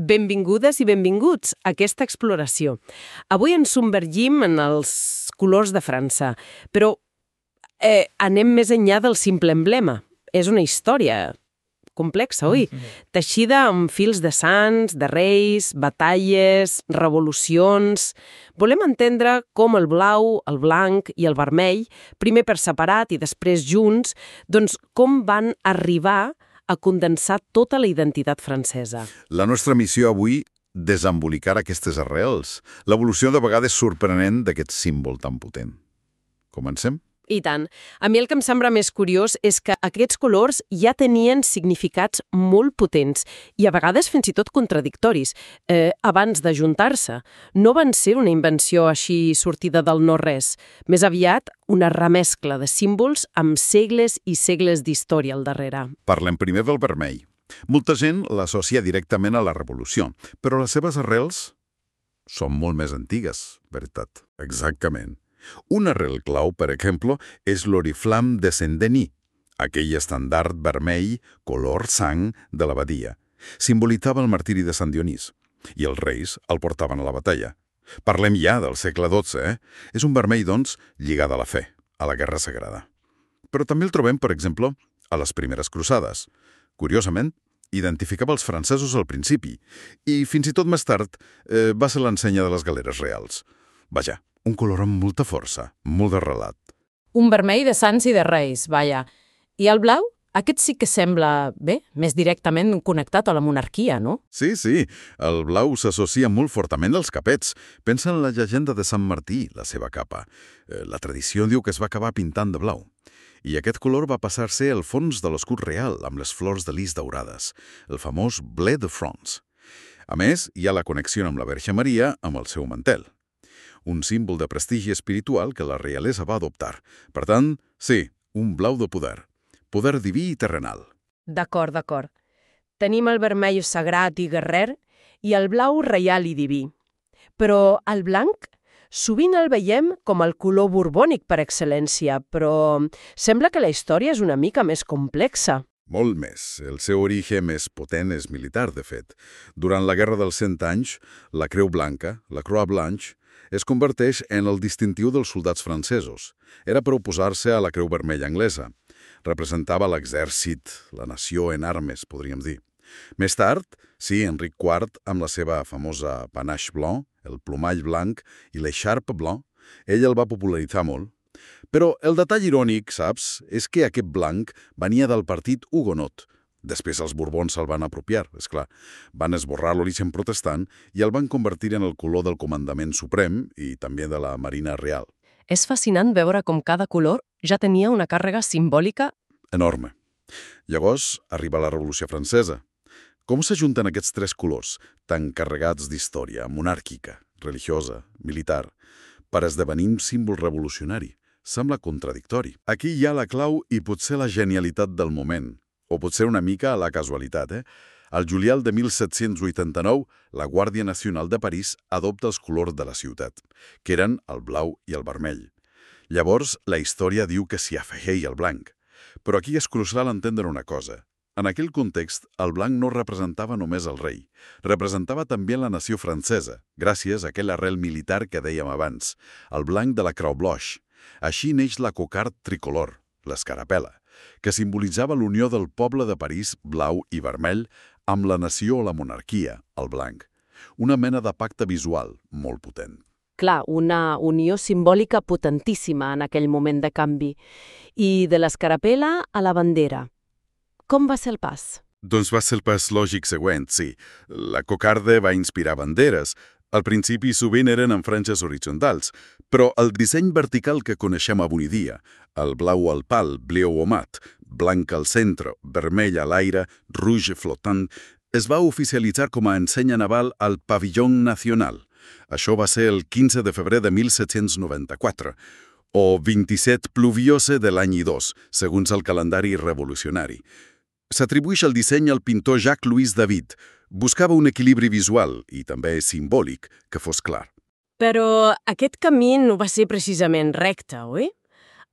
Benvingudes i benvinguts a aquesta exploració. Avui ens submergim en els colors de França, però anem més enllà del simple emblema. És una història complexa, oi? Teixida amb fils de sants, de reis, batalles, revolucions. Volem entendre com el blau, el blanc i el vermell, primer per separat i després junts, doncs com van arribar a condensar tota la identitat francesa. La nostra missió avui, desembolicar aquestes arrels. L'evolució de vegades sorprenent d'aquest símbol tan potent. Comencem? I tant. A mi el que em sembla més curiós és que aquests colors ja tenien significats molt potents i a vegades fins i tot contradictoris, abans d'ajuntar-se. No van ser una invenció així sortida del no-res, més aviat una remescla de símbols amb segles i segles d'història al darrere. Parlem primer del vermell. Molta gent l'associa directament a la revolució, però les seves arrels són molt més antigues, veritat? Exactament. Un arrel clau, per exemple, és l'oriflam de Saint-Denis, aquell estendard vermell color sang de l'abadia. Simbolitzava el martiri de Sant Dionís, i els reis el portaven a la batalla. Parlem ja del segle XII, És un vermell, doncs, lligat a la fe, a la guerra sagrada. Però també el trobem, per exemple, a les primeres cruzades. Curiosament, identificava els francesos al principi, i fins i tot més tard va ser l'ensenya de les galeres reals. Vaja, un color amb molta força, molt de relat. Un vermell de sants i de reis, vaja. I el blau? Aquest sí que sembla, més directament connectat a la monarquia, no? Sí, el blau s'associa molt fortament als capets. Pensa en la llegenda de Sant Martí, la seva capa. La tradició diu que es va acabar pintant de blau. I aquest color va passar a ser el fons de l'escut real, amb les flors de lis daurades, el famós bleu de France. A més, hi ha la connexió amb la Verge Maria amb el seu mantel. Un símbol de prestigi espiritual que la realesa va adoptar. Per tant, sí, un blau de poder. Poder diví i terrenal. D'acord. Tenim el vermell sagrat i guerrer i el blau reial i diví. Però el blanc sovint el veiem com el color borbònic per excel·lència, però sembla que la història és una mica més complexa. Molt més. El seu origen més potent és militar, de fet. Durant la Guerra dels 100 anys, la Creu Blanca, la Croix Blanche, es converteix en el distintiu dels soldats francesos. Era per oposar-se a la Creu Vermella anglesa. Representava l'exèrcit, la nació en armes, podríem dir. Més tard, sí, Enric IV, amb la seva famosa panache blanc, el plomall blanc i l'écharpe blanc, ell el va popularitzar molt. Però el detall irònic, saps, és que aquest blanc venia del partit hugonot. Després els Borbons se'l van apropiar, és clar. Van esborrar l'origen protestant i el van convertir en el color del comandament suprem i també de la Marina Real. És fascinant veure com cada color ja tenia una càrrega simbòlica enorme. Llavors arriba la Revolució Francesa. Com s'ajunten aquests tres colors, tan carregats d'història monàrquica, religiosa, militar, per esdevenir un símbol revolucionari? Sembla contradictori. Aquí hi ha la clau i potser la genialitat del moment. O potser una mica a la casualitat, Al juliol de 1789, la Guàrdia Nacional de París adopta els colors de la ciutat, que eren el blau i el vermell. Llavors, la història diu que s'hi afegeix el blanc. Però aquí és crucial entendre una cosa. En aquell context, el blanc no representava només el rei. Representava també la nació francesa, gràcies a aquell arrel militar que dèiem abans, el blanc de la Croix Blanche. Així neix la cocarde tricolor, l'escarapel·la, que simbolitzava l'unió del poble de París, blau i vermell, amb la nació o la monarquia, el blanc. Una mena de pacte visual molt potent. Clar, una unió simbòlica potentíssima en aquell moment de canvi. I de l'escarapel·la a la bandera. Com va ser el pas? Doncs va ser el pas lògic següent, sí. La cocarde va inspirar banderes. Al principi sovint eren en franges horitzontals, però el disseny vertical que coneixem avui dia, el blau al pal, bleu o mat, blanc al centre, vermell a l'aire, rouge flottant, es va oficialitzar com a ensenya naval al Pavillon Nacional. Això va ser el 15 de febrer de 1794, o 27 pluviose de l'any 2, segons el calendari revolucionari. S'atribueix el disseny al pintor Jacques-Louis David. Buscava un equilibri visual i també simbòlic que fos clar. Però aquest camí no va ser precisament recte, oi?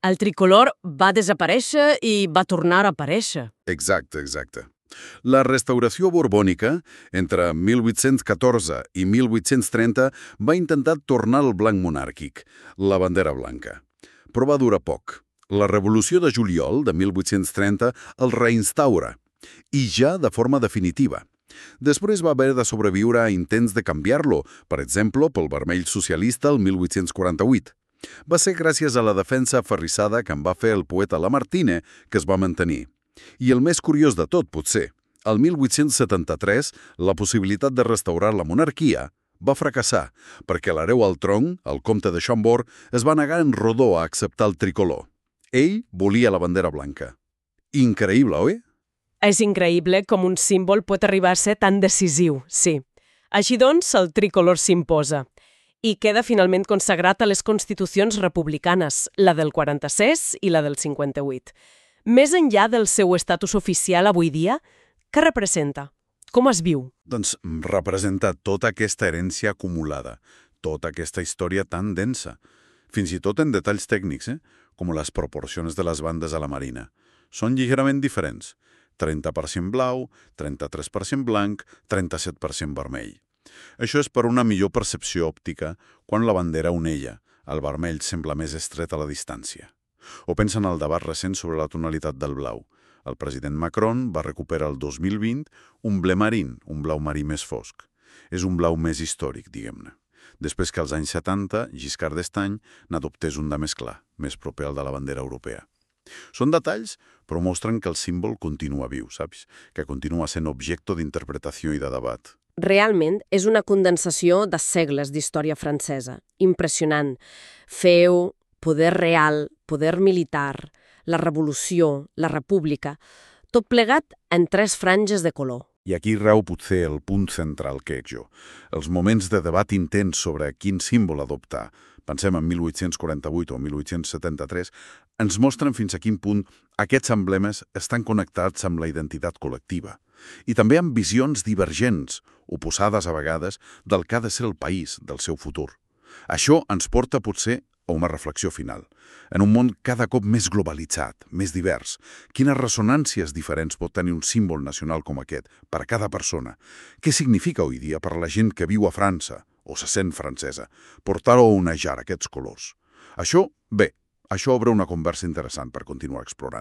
El tricolor va desaparèixer i va tornar a aparèixer. Exacte. La restauració borbònica, entre 1814 i 1830, va intentar tornar al blanc monàrquic, la bandera blanca. Però va durar poc. La Revolució de Juliol de 1830 el reinstaura, i ja de forma definitiva. Després va haver de sobreviure a intents de canviar-lo, per exemple, pel vermell socialista el 1848. Va ser gràcies a la defensa aferrissada que en va fer el poeta Lamartine que es va mantenir. I el més curiós de tot, potser, el 1873 la possibilitat de restaurar la monarquia va fracassar perquè l'hereu al tron, el comte de Chambord, es va negar en rodó a acceptar el tricolor. Ell volia la bandera blanca. Increïble, oi? És increïble com un símbol pot arribar a ser tan decisiu, sí. Així doncs, el tricolor s'imposa i queda finalment consagrat a les constitucions republicanes, la del 46 i la del 58. Més enllà del seu estatus oficial avui dia, què representa? Com es viu? Doncs representa tota aquesta herència acumulada, tota aquesta història tan densa, fins i tot en detalls tècnics, com les proporcions de les bandes a la marina. Són lleugerament diferents. 30% blau, 33% blanc, 37% vermell. Això és per una millor percepció òptica quan la bandera onella, el vermell sembla més estret a la distància. O pensa en el debat recent sobre la tonalitat del blau. El president Macron va recuperar el 2020 un ble marín, un blau marí més fosc. És un blau més històric, diguem-ne. Després que als anys 70, Giscard d'Estaing n'adoptés un de més clar, més proper al de la bandera europea. Són detalls, però mostren que el símbol continua viu, saps? Que continua sent objecte d'interpretació i de debat. Realment és una condensació de segles d'història francesa. Impressionant. Feu, poder real, poder militar, la revolució, la república, tot plegat en 3 franges de color. I aquí rau potser el punt central que ec jo. Els moments de debat intens sobre quin símbol adoptar, pensem en 1848 o 1873, ens mostren fins a quin punt aquests emblemes estan connectats amb la identitat col·lectiva i també amb visions divergents, oposades a vegades, del que ha de ser el país, del seu futur. Això ens porta potser a una reflexió final. En un món cada cop més globalitzat, més divers, quines ressonàncies diferents pot tenir un símbol nacional com aquest per a cada persona? Què significa avui dia per a la gent que viu a França o se sent francesa, portar o onejar aquests colors? Això, bé, això obre una conversa interessant per continuar explorant.